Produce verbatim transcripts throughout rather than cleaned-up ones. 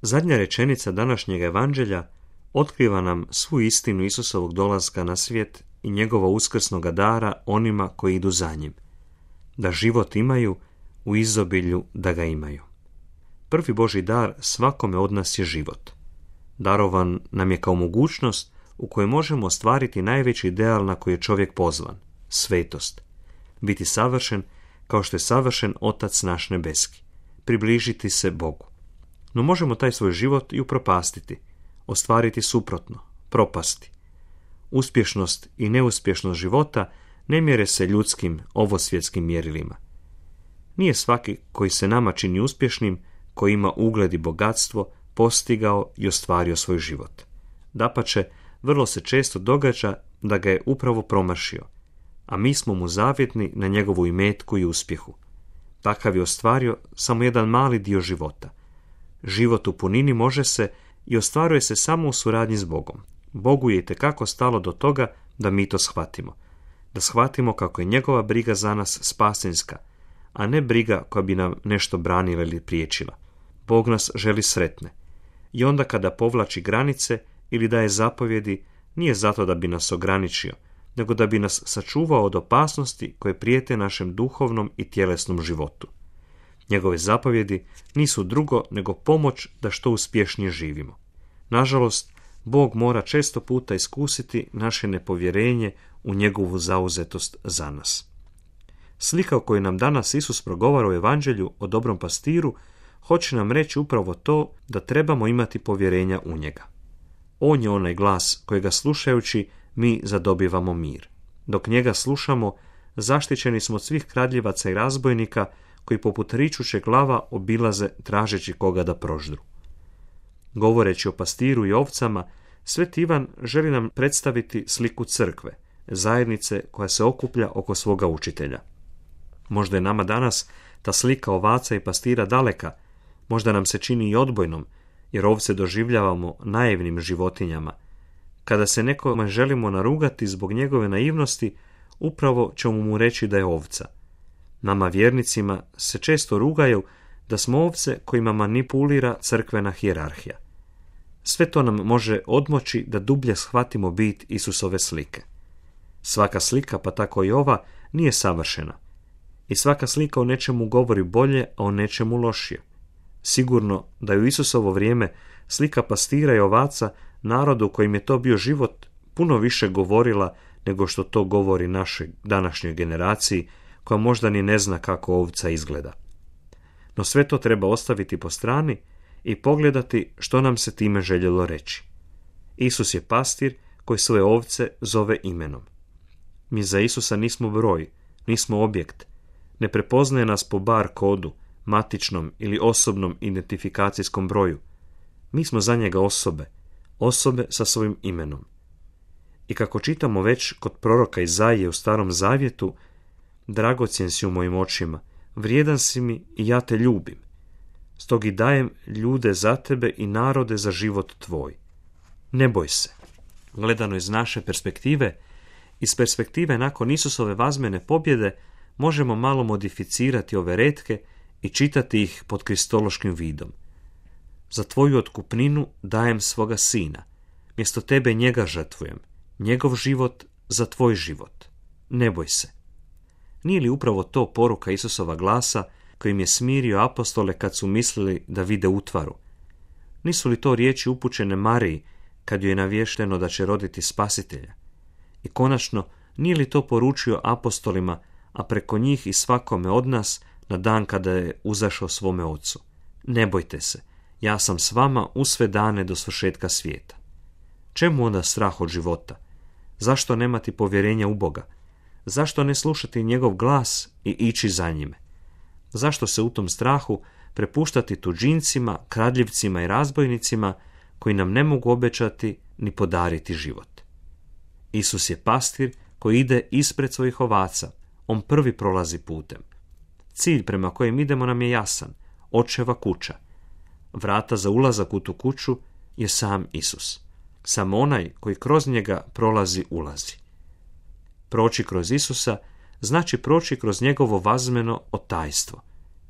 Zadnja rečenica današnjeg evanđelja otkriva nam svu istinu Isusovog dolaska na svijet i njegova uskrsnoga dara onima koji idu za njim. Da život imaju, u izobilju da ga imaju. Prvi Božji dar svakome od nas je život. Darovan nam je kao mogućnost u kojoj možemo ostvariti najveći ideal na koji je čovjek pozvan, svetost. Biti savršen kao što je savršen Otac naš nebeski. Približiti se Bogu. No možemo taj svoj život i upropastiti, ostvariti suprotno, propasti. Uspješnost i neuspješnost života ne mjere se ljudskim, ovosvjetskim mjerilima. Nije svaki koji se nama čini uspješnim, koji ima ugled i bogatstvo, postigao i ostvario svoj život. Dapače, vrlo se često događa da ga je upravo promašio, a mi smo mu zavjetni na njegovu imetku i uspjehu. Takav je ostvario samo jedan mali dio života. Život u punini može se i ostvaruje se samo u suradnji s Bogom. Bogu je itekako stalo do toga da mi to shvatimo. Da shvatimo kako je njegova briga za nas spasenska, a ne briga koja bi nam nešto branila ili priječila. Bog nas želi sretne. I onda kada povlači granice ili daje zapovjedi, nije zato da bi nas ograničio, nego da bi nas sačuvao od opasnosti koje prijete našem duhovnom i tjelesnom životu. Njegove zapovjedi nisu drugo nego pomoć da što uspješnije živimo. Nažalost, Bog mora često puta iskusiti naše nepovjerenje u njegovu zauzetost za nas. Slika o kojoj nam danas Isus progovara u evanđelju o dobrom pastiru hoće nam reći upravo to da trebamo imati povjerenja u njega. On je onaj glas kojega slušajući mi zadobivamo mir. Dok njega slušamo, zaštićeni smo od svih kradljivaca i razbojnika koji poput ričućeg lava obilaze tražeći koga da proždru. Govoreći o pastiru i ovcama, Sveti Ivan želi nam predstaviti sliku crkve, zajednice koja se okuplja oko svoga učitelja. Možda je nama danas ta slika ovaca i pastira daleka, možda nam se čini i odbojnom, jer ovce doživljavamo naivnim životinjama. Kada se nekome želimo narugati zbog njegove naivnosti, upravo ćemo mu reći da je ovca. Nama vjernicima se često rugaju da smo ovce kojima manipulira crkvena hijerarhija. Sve to nam može odmoći da dublje shvatimo bit Isusove slike. Svaka slika, pa tako i ova, nije savršena. I svaka slika o nečemu govori bolje, a o nečemu lošije. Sigurno da je u Isusovo vrijeme slika pastira i ovaca narodu kojim je to bio život puno više govorila nego što to govori našoj današnjoj generaciji, koja možda ni ne zna kako ovca izgleda. No sve to treba ostaviti po strani i pogledati što nam se time željelo reći. Isus je pastir koji svoje ovce zove imenom. Mi za Isusa nismo broj, nismo objekt, ne prepoznaje nas po bar kodu, matičnom ili osobnom identifikacijskom broju. Mi smo za njega osobe, osobe sa svojim imenom. I kako čitamo već kod proroka Izaije u Starom Zavjetu, dragocjen si u mojim očima, vrijedan si mi i ja te ljubim. Stog i dajem ljude za tebe i narode za život tvoj. Ne boj se. Gledano iz naše perspektive, iz perspektive nakon Isusove vazmene pobjede, možemo malo modificirati ove retke i čitati ih pod kristološkim vidom. Za tvoju otkupninu dajem svoga sina. Mjesto tebe njega žrtvujem. Njegov život za tvoj život. Ne boj se. Nije li upravo to poruka Isusova glasa kojim je smirio apostole kad su mislili da vide utvaru? Nisu li to riječi upućene Mariji kad joj je navješteno da će roditi spasitelja? I konačno, nije li to poručio apostolima, a preko njih i svakome od nas na dan kada je uzašao svome ocu? Ne bojte se, ja sam s vama u sve dane do svršetka svijeta. Čemu onda strah od života? Zašto nemati povjerenja u Boga? Zašto ne slušati njegov glas i ići za njime? Zašto se u tom strahu prepuštati tuđincima, kradljivcima i razbojnicima koji nam ne mogu obećati ni podariti život? Isus je pastir koji ide ispred svojih ovaca. On prvi prolazi putem. Cilj prema kojem idemo nam je jasan. Očeva kuća. Vrata za ulazak u tu kuću je sam Isus. Samo onaj koji kroz njega prolazi ulazi. Proći kroz Isusa znači proći kroz njegovo vazmeno otajstvo.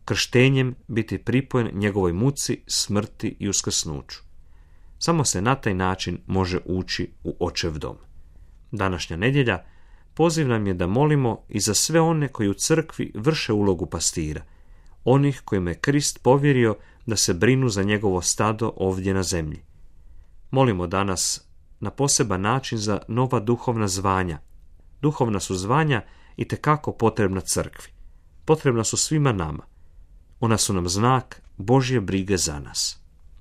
krštenjem biti pripojen njegovoj muci, smrti i uskrsnuću. Samo se na taj način može ući u Očev dom. Današnja nedjelja poziv nam je da molimo i za sve one koji u crkvi vrše ulogu pastira, onih kojima je Krist povjerio da se brinu za njegovo stado ovdje na zemlji. Molimo danas na poseban način za nova duhovna zvanja. Duhovna su zvanja itekako potrebna crkvi. Potrebna su svima nama. Ona su nam znak Božje brige za nas.